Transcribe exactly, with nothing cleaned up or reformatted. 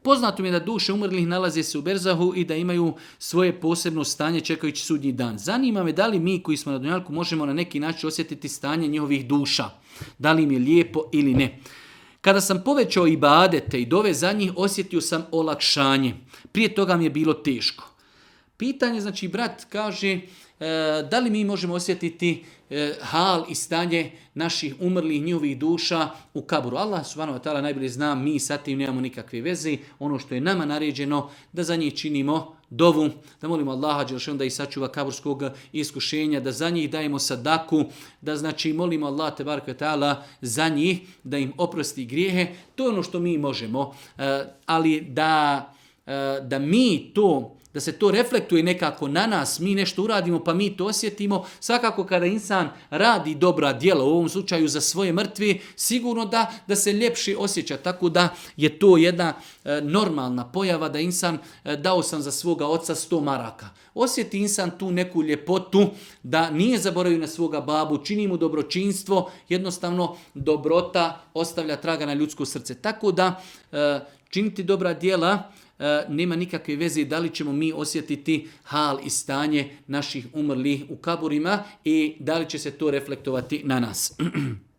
Poznato mi je da duše umrlih nalaze se u berzahu i da imaju svoje posebno stanje čekajući sudnji dan. Zanima me da li mi koji smo na dunjalku možemo na neki način osjetiti stanje njihovih duša. Da li im je lijepo ili ne. Kada sam povećao ibadete i dove za njih, osjetio sam olakšanje. Prije toga mi je bilo teško. Pitanje, znači, brat kaže, e, da li mi možemo osjetiti e, hal i stanje naših umrlih njihovih duša u kaburu. Allah subhanahu wa ta'ala najbolje zna, mi sa tim nemamo nikakve veze. Ono što je nama naređeno, da za njih činimo dovu, da molimo Allaha dželešanu da ih sačuva kaburskog iskušenja, da za njih dajemo sadaku, da znači molimo Allah tebareke ve taala za njih, da im oprosti grijehe. To je ono što mi možemo. E, ali da, e, da mi to da se to reflektuje nekako na nas, mi nešto uradimo pa mi to osjetimo. Svakako kada insan radi dobra djela, u ovom slučaju za svoje mrtve, sigurno da, da se ljepše osjeća. Tako da je to jedna e, normalna pojava da insan, e, dao sam za svoga oca sto maraka. Osjeti insan tu neku ljepotu, da nije zaboravio na svoga babu, čini mu dobročinstvo, jednostavno dobrota ostavlja traga na ljudsko srce. Tako da e, činiti dobra djela, nema nikakve veze da li ćemo mi osjetiti hal i stanje naših umrlih u kaburima i da li će se to reflektovati na nas.